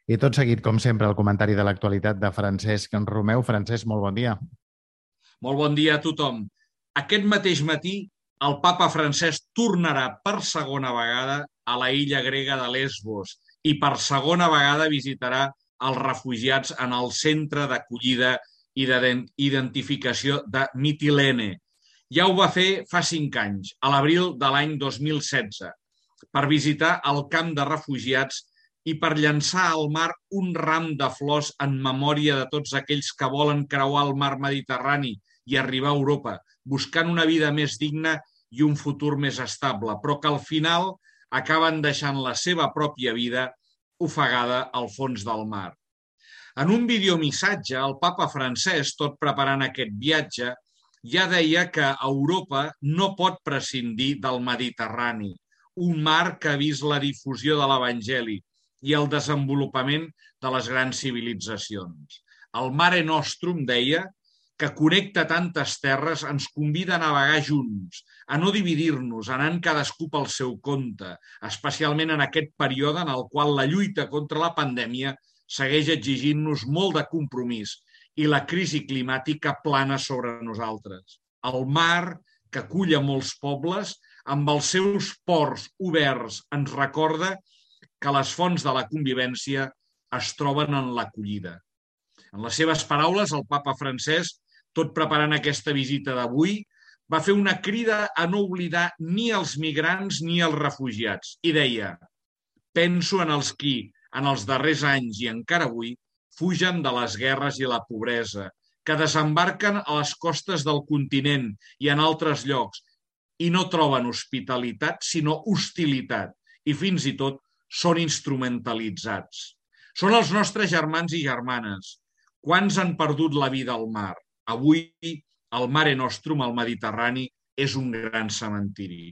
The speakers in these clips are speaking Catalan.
I tot seguit, com sempre, el comentari de l'actualitat de Francesc Romeu. Francesc, molt bon dia. Molt bon dia a tothom. Aquest mateix matí, el papa Francesc tornarà per segona vegada a la illa grega de Lesbos i per segona vegada visitarà els refugiats en el centre d'acollida i d'identificació de Mitilene. Ja ho va fer fa 5 anys, a l'abril de l'any 2016, per visitar el camp de refugiats i per llançar al mar un ram de flors en memòria de tots aquells que volen creuar el mar Mediterrani i arribar a Europa, buscant una vida més digna i un futur més estable, però que al final acaben deixant la seva pròpia vida ofegada al fons del mar. En un videomissatge, el papa Francesc, tot preparant aquest viatge, ja deia que Europa no pot prescindir del Mediterrani, un mar que ha vist la difusió de l'Evangeli i el desenvolupament de les grans civilitzacions. El Mare Nostrum, deia, que connecta tantes terres, ens convida a navegar junts, a no dividir-nos, anant cadascú pel seu compte, especialment en aquest període en el qual la lluita contra la pandèmia segueix exigint-nos molt de compromís i la crisi climàtica plana sobre nosaltres. El mar, que acull a molts pobles, amb els seus ports oberts, ens recorda que les fonts de la convivència es troben en l'acollida. En les seves paraules, el papa Francesc, tot preparant aquesta visita d'avui, va fer una crida a no oblidar ni els migrants ni els refugiats i deia: penso en els qui, en els darrers anys i encara avui, fugen de les guerres i la pobresa, que desembarquen a les costes del continent i en altres llocs i no troben hospitalitat sinó hostilitat i fins i tot són instrumentalitzats. Són els nostres germans i germanes. Quants han perdut la vida al mar? Avui, el Mare Nostrum, al Mediterrani, és un gran cementiri.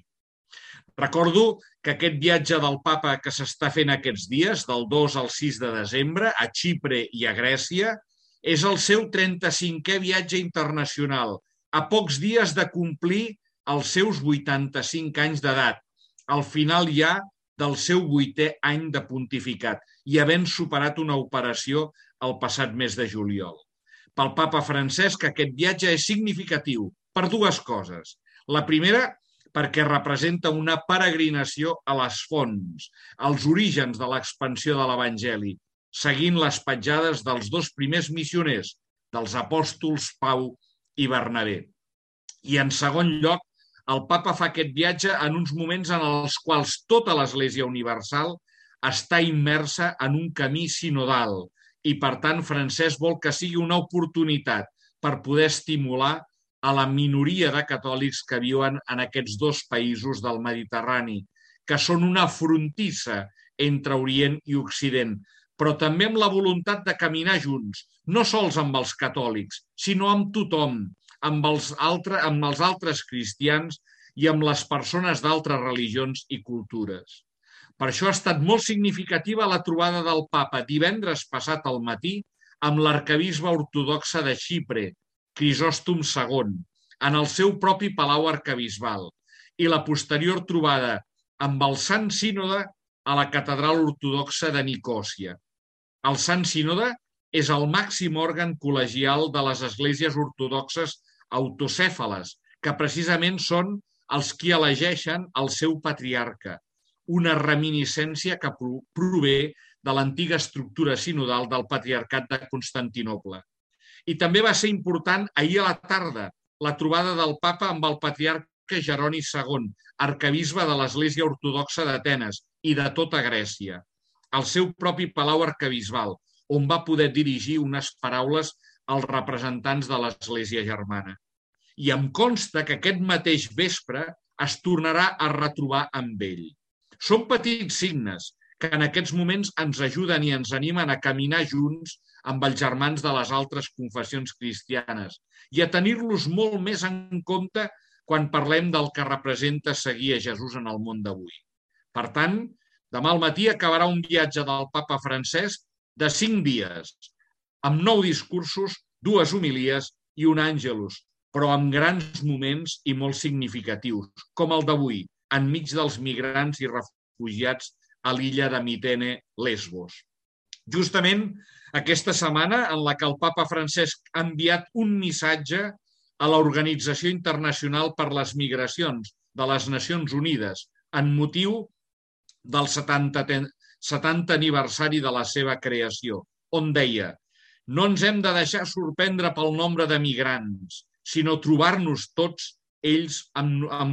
Recordo que aquest viatge del papa que s'està fent aquests dies, del 2 al 6 de desembre, a Xipre i a Grècia, és el seu 35è viatge internacional, a pocs dies de complir els seus 85 anys d'edat, al final ja del seu 8è any de pontificat i havent superat una operació el passat mes de juliol. Pel papa Francesc, aquest viatge és significatiu per dues coses. La primera, perquè representa una peregrinació a les fonts, als orígens de l'expansió de l'Evangeli, seguint les petjades dels dos primers missioners, dels apòstols Pau i Bernabé. I en segon lloc, el papa fa aquest viatge en uns moments en els quals tota l'Església Universal està immersa en un camí sinodal i, per tant, Francesc vol que sigui una oportunitat per poder estimular a la minoria de catòlics que viuen en aquests dos països del Mediterrani, que són una frontissa entre Orient i Occident, però també amb la voluntat de caminar junts, no sols amb els catòlics, sinó amb tothom, amb els altres cristians i amb les persones d'altres religions i cultures. Per això ha estat molt significativa la trobada del papa divendres passat al matí amb l'arquebisbe ortodoxe de Xipre, Crisòstom II, en el seu propi palau arquebisbal, i la posterior trobada amb el Sant Sínode a la catedral ortodoxa de Nicòsia. El Sant Sínode és el màxim òrgan col·legial de les esglésies ortodoxes autocèfales, que precisament són els qui elegeixen el seu patriarca, una reminiscència que prové de l'antiga estructura sinodal del Patriarcat de Constantinoble. I també va ser important ahir a la tarda la trobada del papa amb el patriarca Jeroni II, arquebisbe de l'Església Ortodoxa d'Atenes i de tota Grècia, al seu propi palau arquebisbal, on va poder dirigir unes paraules als representants de l'Església germana. I em consta que aquest mateix vespre es tornarà a retrobar amb ell. Són petits signes que en aquests moments ens ajuden i ens animen a caminar junts amb els germans de les altres confessions cristianes i a tenir-los molt més en compte quan parlem del que representa seguir a Jesús en el món d'avui. Per tant, demà al matí acabarà un viatge del papa Francesc de 5 dies, amb 9 discursos, 2 homilies i un àngelus, però amb grans moments i molt significatius, com el d'avui, enmig dels migrants i refugiats a l'illa de Mitene, Lesbos. Justament aquesta setmana en la que el papa Francesc ha enviat un missatge a l'Organització Internacional per les Migracions de les Nacions Unides en motiu del 70è aniversari de la seva creació, on deia: no ens hem de deixar sorprendre pel nombre de migrants, sinó trobar-nos tots ells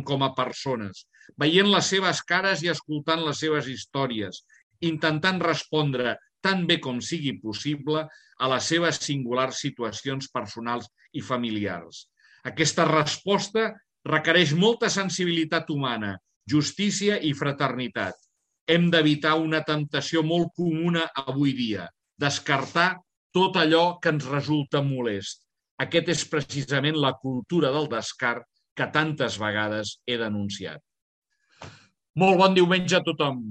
com a persones, veient les seves cares i escoltant les seves històries, intentant respondre tan bé com sigui possible a les seves singulars situacions personals i familiars. Aquesta resposta requereix molta sensibilitat humana, justícia i fraternitat. Hem d'evitar una temptació molt comuna avui dia, descartar tot allò que ens resulta molest. Aquest és precisament la cultura del descart que tantes vegades he denunciat. Molt bon diumenge a tothom.